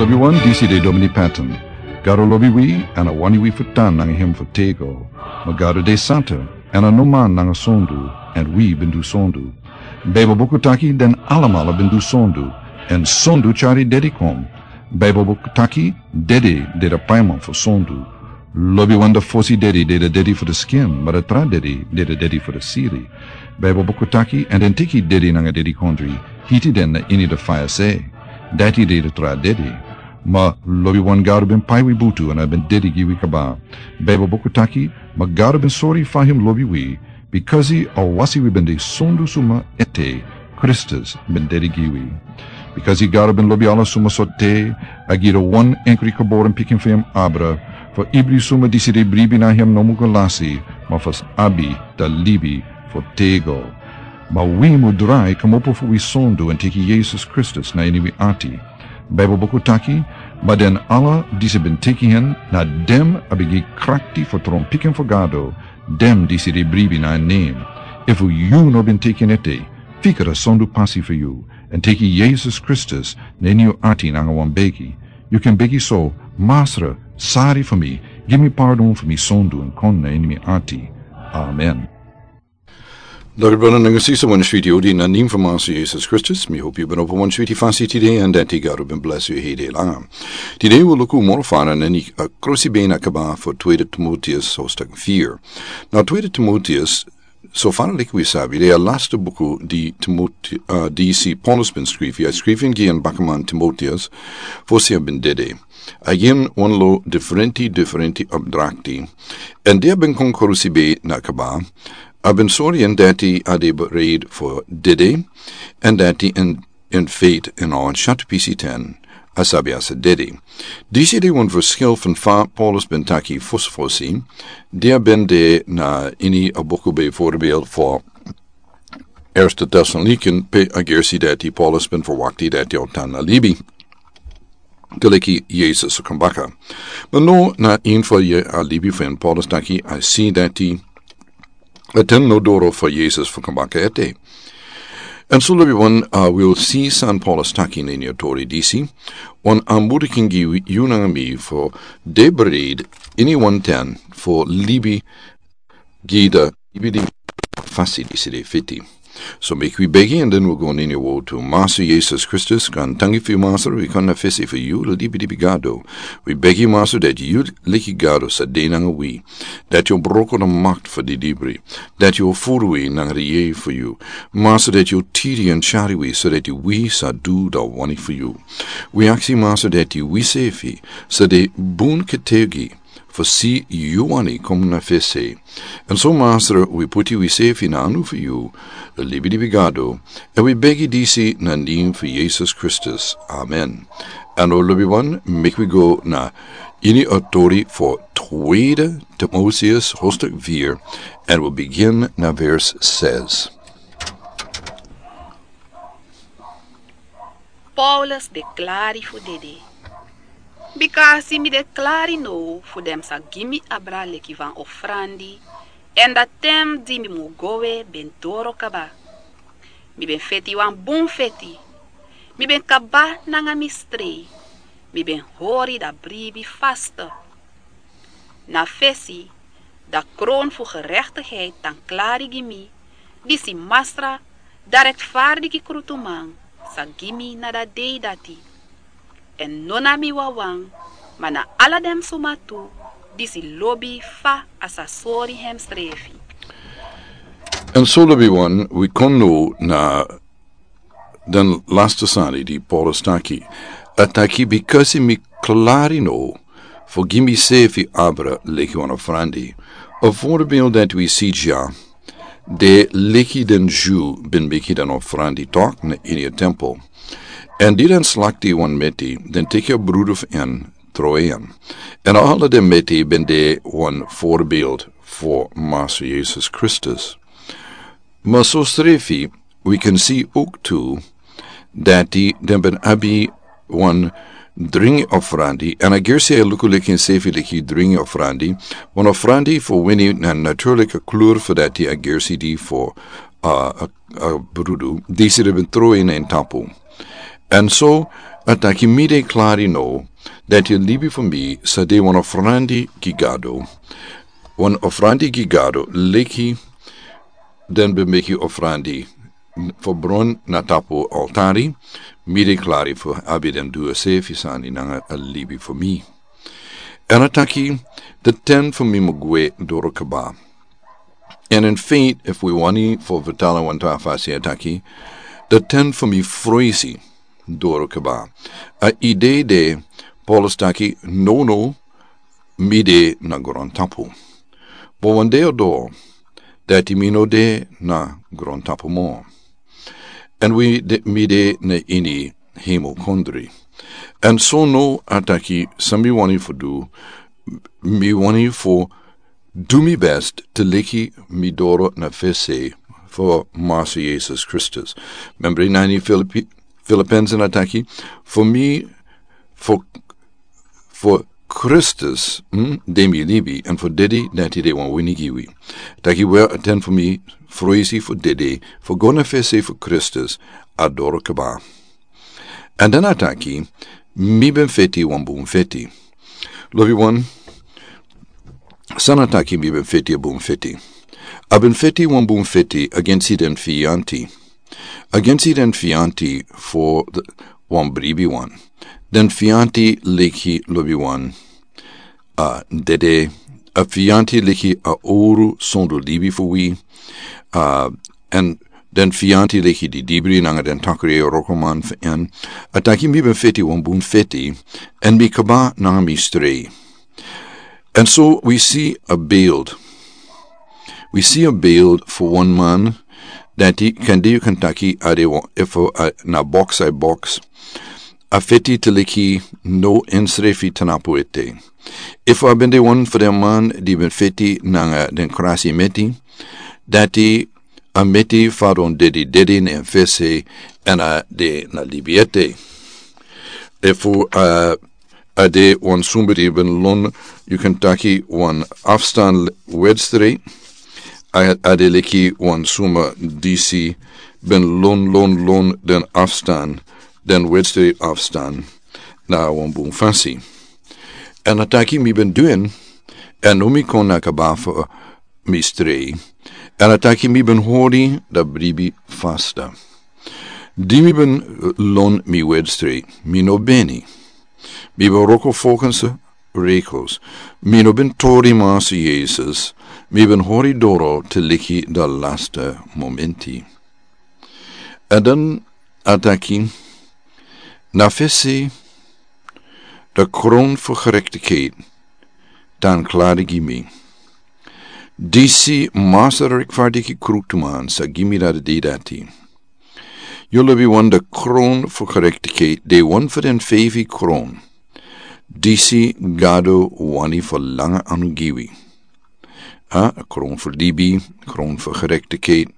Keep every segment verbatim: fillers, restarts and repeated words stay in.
Lobi wan, disi de Domini Patton. Gado lobi wi, èn a wani wi fu tan nanga hem fu tego. Ma Gado de santa, èn a no man nanga sondu, èn wi ben du sondu. Beibel buku taki den alamala ben du sondu, èn sondu tyari dedi kon. Beibel buku taki dedi de a paiman fu sondu. Lobi wan, da fosi dedi de a dedi fu a skin, ma a tra dedi de a dedi fu a siri. Beibel buku taki, èn den teki dedi nanga dedikondri, hiti den na ini a faya se. Dati de a tra dedi. Ma lobi wan, Gado ben pai wi butu èn a ben dedi gi wi kaba. Beibel buku taki, ma Gado ben sori fa hem lobi wi, bikasi a wasi wi ben de sondu suma ete, Kristus ben dedi gi wi. Bikasi Gado ben lobi ala suma sortu, a gi a wan enkri geboren pikin fu hem abra, fu ibri suma disi de bribi na hem no mu go lasi, ma fu abi a libi fu tego. Ma wi mu drai komopo fu wi sondu èn teki Yesus Kristus na ini wi ati. Beibel buku taki, ma den ala disi ben teki hen, na den a ben gi krakti fu tron pikin fu Gado, den disi de bribi na en nen. Efu yu no ben teki en ete, fika a sondu pasi fu yu, èn teki Yesus Kristus na ini yu ati nanga wan begi. Yu kan begi so: Masra, sari fu mi, gi mi pardon fu mi sondu èn kon na ini mi ati. Amen. Dori brada nanga sisa, wan switi odi na nen fu Masra Yesus Kristus. Mi hopi yu ben opo wan switi fasi tide, èn dati Gado ben bless yu hede langa. Tide wi luku moro fara na ini a krusi ben a kaba fu Tweede Timoteus hoofdstuk vier. Na Tweede Timoteus, so fara leki wi sabi, de a laste buku di Timote-, ah, disi Paulus ben skrifi. A skrifi en gi en bakaman Timoteus, fosi a ben dede. A gi en wan lo diferenti, diferenti opdrakti. Èn di a ben kon krusi ben a kaba, a ben sori en dati a de bereid fu dede, èn dati en, en feit en a wan shatu pisi ten, a sabi a sa dede. Disi de wan verschil fu fa Paulus ben taki fosi fosi, di a ben de na ini a buku bijvoorbeeld fu Eerste Thessaloniken, pe a gersi dati Paulus ben verwakti dati a o tan na libi. Gelijk Yesus o kon baka. Ma no, na ini fu a libi fu en Paulus taki a si dati a ten no doro fu Yesus fu kon baka ete. Èn so lobi wan, ah, wi o si san Paulus taki na ini a tori disi. Wan anbudi kan gi yu nanga mi fu de bereid ini wan ten fu libi gi a libi di fasi disi de fiti. So meki wi begi èn den wi go na ini a wotu. Masra Yesus Kristus, gaantangi fu yu Masra, wi kon na fesi fu yu, libi libi Gado. Wi begi Masra dati yu leki Gado sa de nanga wi. Dati yu o broko a makti fu di dibri. Dati yu o furu wi nanga a yeye fu yu. Masra dati yu o tiri èn tyari wi, so dati wi sa du a wani fu yu. Wi aksi Masra dati wi sefi sa de bun ketegi fu si yu wani kon na fesi. Èn so Masra wi puti wi sefi na anu fu yu, libi libi Gado, èn wi begi disi na nen fu Yesus Kristus. Amen. Èn o lobi wan, meki wi go na ini a tori fu Tweede Timoteus hoofdstuk vier, èn wi begin na vers zes. Paulus de klari fu dede. Bikasi mi de klari now fu den sa gi mi abra leki wan ofrandi, èn a ten di mi mu go we ben doro kaba. Mi ben feti wan bun feti. Mi ben kaba nanga mi strei. Mi ben hori a bribi faste. Na fesi, a kroon fu gerechtigheid tan klari gi mi, disi Masra, a rechtvaardige krutuman, sa gi mi na a dei dati. Èn no na mi wawan, ma na ala den suma tu, disi lobi fa a sa sori hemsrefi. Èn so lobi wan, wi kon now na den laste sani di Paulus taki. A taki, bikasi mi klari now fu gi misefi abra leki wan ofrandi. A voorbeeld dati wi si dya, de leki den Dyu ben meki den ofrandi tok na ini a tempel. Èn di den slakti wan meti, den teki a brudu fu en, tron en. Èn ala den meti ben de wan voorbeeld fu Masra Yesus Kristus. Ma sosrefi, wi kan si ook tu dati den ben abi wan dringi ofrandi. Èn a gersi a luku leki ensefi leki dringi ofrandi. Wan ofrandi fu wini na natuurlijke kleur fu dati a gersi di fu, uh, a, a brudu. Disi den ben tron in en tapu. Èn so, A taki mi de klari no, dati a libi fu mi sa de wan ofrandi gi Gado. Wan ofrandi gi Gado leki den ben meki ofrandi fu bron na tapu altari. Mi de klari fu abi den du a sefi sani nanga a libi fu mi. Èn a taki den ten fu mi mu gwe doro kaba. Èn in feit efu wi wani fu vertala wan tra fasi a taki den ten fu mi froisi doro kaba. A idei de Paulus taki nono mi de na grontapu. Bo wan de a do dati mi no de na grontapu mo. Èn wi de mi de na ini hemel kondri. Èn so no a taki san mi wani fu du. Mi wani fu du mi best te leki mi doro na fesi fu Master Yesus Kristus. Membri na ini Filipi- Filipensi na taki fu mi fu fu Kristus, mm, de mi libi èn fu dede dati de wan wini gi wi. Taki we a ten fu mi froisi fu dede fu go na fesi fu Kristus a doro kaba. Èn dan a taki mi ben feti wan bun feti. Lobi wan san a taki mi ben feti a bun feti. A ben feti wan bun feti agensi den fianti. Agensi den fianti fu wan bribi wan. Den fianti leki lobi wan a dede. A fianti leki a oru sondu libi fu wi. A èn den fianti leki di dibri nanga den takri e rokoman fu en. A taki mi ben feti wan bun feti èn mi kaba nanga mi strei. Èn so wi si a beeld. Wi si a beeld fu wan man dati kandi yu kan taki a de wan efu a na boks a boks. A feti te leki no ensrefi tanapu ete. Efu a ben de wan fu den man di ben feti nanga den krasi meti dati a meti fadon dedi dedi na en fesi. Èn a de na libi ete. Efu a a de wan suma di ben lon yu kan taki wan afstan wedstrei. A de leki wan suma disi ben lon lon lon den afstan den wedstrei afstan na wan bun fasi. Èn a taki mi ben duen èn no mi kon na kaba fu mi strei. Èn a taki mi ben hori da bribi fasta. Di mi ben lon mi wedstrei mi no beni. Mi ben roko fokens rekos. Mi no ben tori masi Yesus. Mi ben hori doro te liki da lasta momenti. Èn dan a taki na fesi da kron fu gerektikheit dan klari gi mi. Disi masa rekfardiki kruktuman sa gi mi da de dati. Yu lobi wan da kron fu gerektikheit de wan fu den fefi kron. Disi Gado wani fu langa anu gi wi. A kron fu libi, kron fu gerektikheit,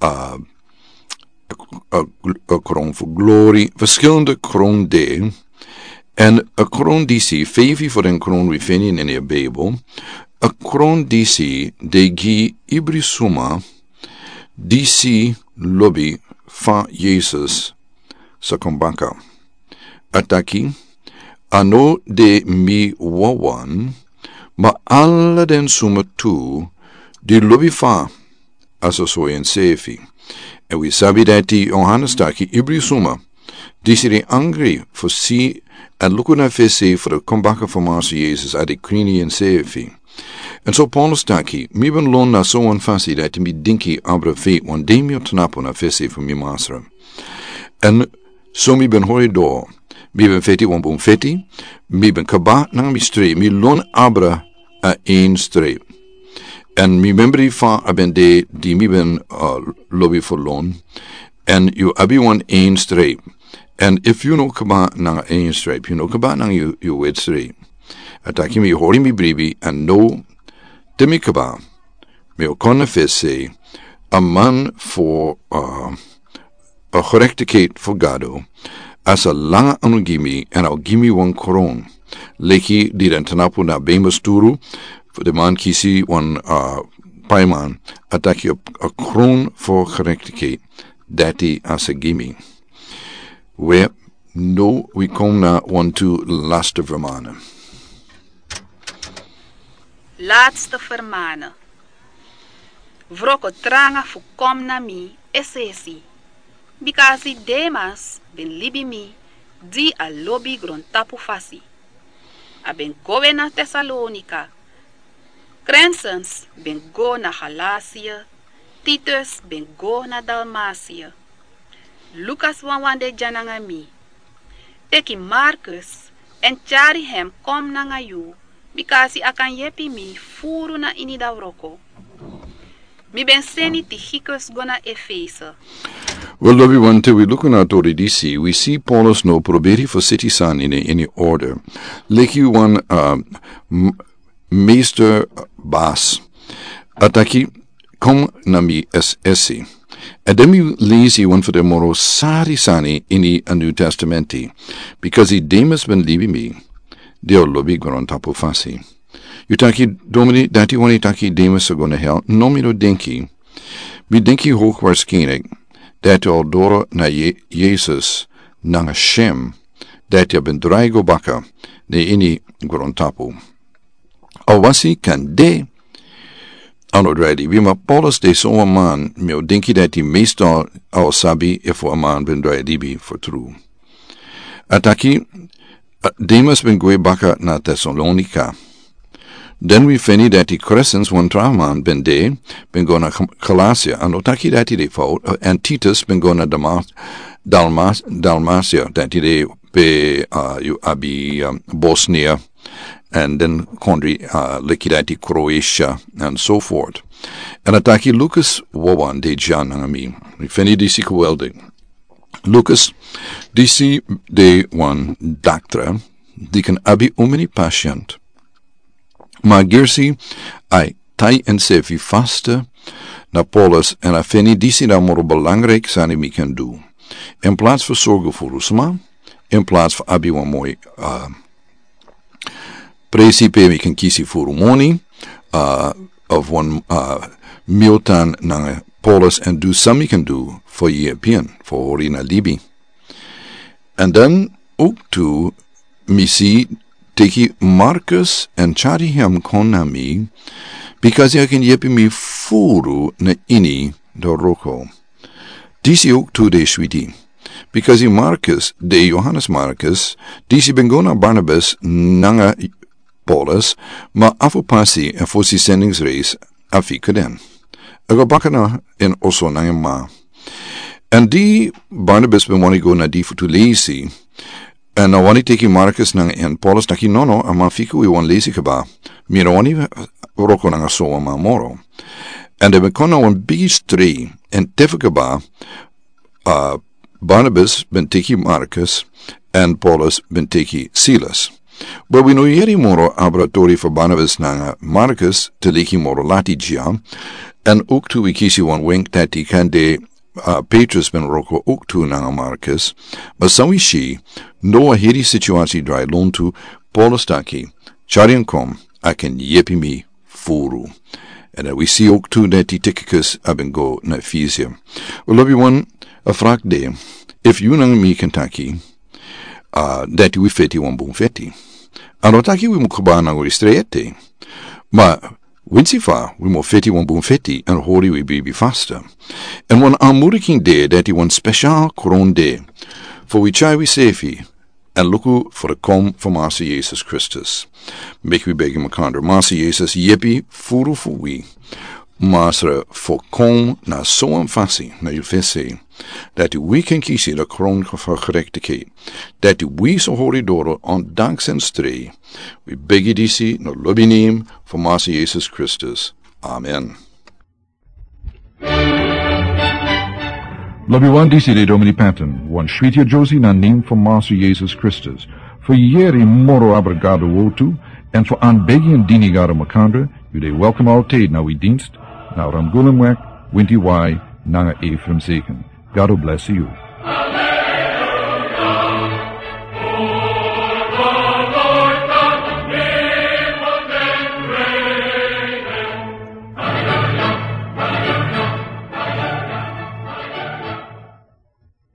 a a kron fu glori, verschillende kron de. Èn a kron disi fefi fu den kron wi feni neni a Bijbel. A kron disi de gi ibri suma disi lobi fa Yesus sa kon baka. A taki a no de mi wawan ma ala den suma tu di lobi fa a sa soi ensefi. Èn wi sabi dati Yohanes taki ibri suma disi de angri fu si èn luku na fesi fu de kon baka fu Masi Yesus a de krini ensefi. Èn so Paulus taki mi ben lon na so wan fasi dati mi dinki abra fei wan de mi o tnapu na fesi fu mi masra. Èn so mi ben hori do mi ben feti wan bun feti. Mi ben kaba nanga mi stri mi lon abra a en stri. Èn mi membri fa a ben de di mi ben lobi fu lon. Èn yu abi wan en stri. Èn efu yu no kaba nanga en stri yu no kaba nanga yu wet stri. A taki mi hori mi bribi èn no te mi kaba mi o kon na fesi a man fu a gerektikheit fu Gado. A sa langa anu gi mi èn a o gi mi wan kron leki di den tnapu na bemba sturu fu de man kisi wan paiman. A taki a kron fu gerektikheit dati a sa gi mi. We No, wi kon na wantu laste vermanen. Laatste vermanen. Wroko tranga fu kon na mi es'esi. Bika a si Demas ben libi mi, di a lobi grontapu fasi. A ben go we na Tesalonika. Krensens ben go na Galasia. Titus ben go na Dalmasia. Lukas wawan de dya nanga mi. Teki Markus èn tyari hem kon nanga yu, bika a si a kan yepi mi furu na ini da wroko. Mi ben seni Tikikus go na Efese. Wel, lobi wan, te wi luku na a tori disi, wi si Paulus no proberi fu seti sani na ini order. Leki wan, uh, m-, meester, bas. A taki, kon na mi es'esi. Èn den mi leisi wan fu den moro sari sani ini a New Testamenti. Bika Demas ben libi mi, di a lobi grontapu fasi. Yu taki, Domini, dati wani taki Demas sa go na hel? No, mi no denki. Mi denki hoogwaarschijnlijk dati a o doro na Ye-, Yesus nanga shem, dati a ben drai go baka na ini grontapu. A wasi kan de a no drai libi, ma Paulus de so wan man, mi o denki dati meestal a o sabi efu a man ben drai libi fu tru. A taki, uh, Demas ben gwe baka na Tesalonika. Den wi feni dati Krensens, wan tra man, ben de, ben go na G-, Galasia, a no taki dati de fout, uh, èn Titus ben go na Damas-, Dalmas-, Dalmasia, dati de pe, uh, yu abi, um, Bosnia, èn den kondre, uh, leki dati Kroatia, and so forth. Èn a taki Lukas wawan de dya nanga mi. Wi feni disi geweldig. Lukas, disi de wan daktra, di kan abi omeni pasiënt. Ma gersi, a e tai ensefi faste na Paulus, èn a feni disi na moro belangrijk sani mi kan du. In plaats fu sorgu furu sma, in plaats fu abi wan moi, uh, presi pe mi kan kisi furu moni, uh, of wan, uh, mi o tan nanga Paulus èn du san mi kan du fu yepi en fu hori na libi. Èn den ook tu mi si teki Markus èn tyari hem kon na mi, bika a kan yepi mi furu na ini da wroko. Disi ook tu de switi. Bika Markus, de Johannes Markus, disi ben go na Barnabas nanga Paulus, ma a fu pasi èn fosi zendingsreis a fika den. A go baka na en oso nanga en ma. Èn di Barnabas ben wani go na di fu tu leisi, èn a wani teki Markus nanga en, Paulus taki nono, a man fika wi wan leisi kaba. Mi no wani wroko nanga so wan man moro. Èn den ben kon na wan bigi strei, èn te fu kaba, uh, Barnabas ben teki Markus, èn Paulus ben teki Silas. But wi no yere moro abra tori fu Barnabas nanga Markus te leki moro lati dya, èn ook tu wi kisi wan wenk dati kan de, uh, Petrus ben wroko ook tu nanga Markus, ma san wi si, now a heri situasi drai lontu, Paulus taki, tyari en kon, a kan yepi mi furu. Èn, uh, wi si ook tu dati Tikikus a ben go na Efese. Wel, lobi wan, a vraag de, efu yu nanga mi kan taki, uh, dati wi feti wan bun feti. A no taki wi mu kaba nanga wi strei ete. Ma winsi fa wi mu feti wan bun feti èn hori wi bribi faste. Èn wan aanmoediging de dati wan speciaal kroon de fu wi tyari wisefi èn luku fu de kom fu Massa Jesus Kristus. Meki wi begi makandra. Massa Jesus, yepi furu fu wi. Massa, fu kon na so wan fasi na yu fesi, dati wi kan kisi de kroon fu gerechtigheid, dati wi sa hori doro ondanks en strei. Wi begi disi na lobi nen fu Massa Jesus Kristus. Amen. Lobi wan, disi de Domini Patton, wan switi a Josie na nen fu Massa Jesus Kristus. Fu yere moro abra Gado wortu, èn fu aanbegi èn dini Gado makandra, yu de welkom altijd na wi dienst, na Ramgulumweg, winti Y, nanga Ephraim Zeken. Gado bless yu.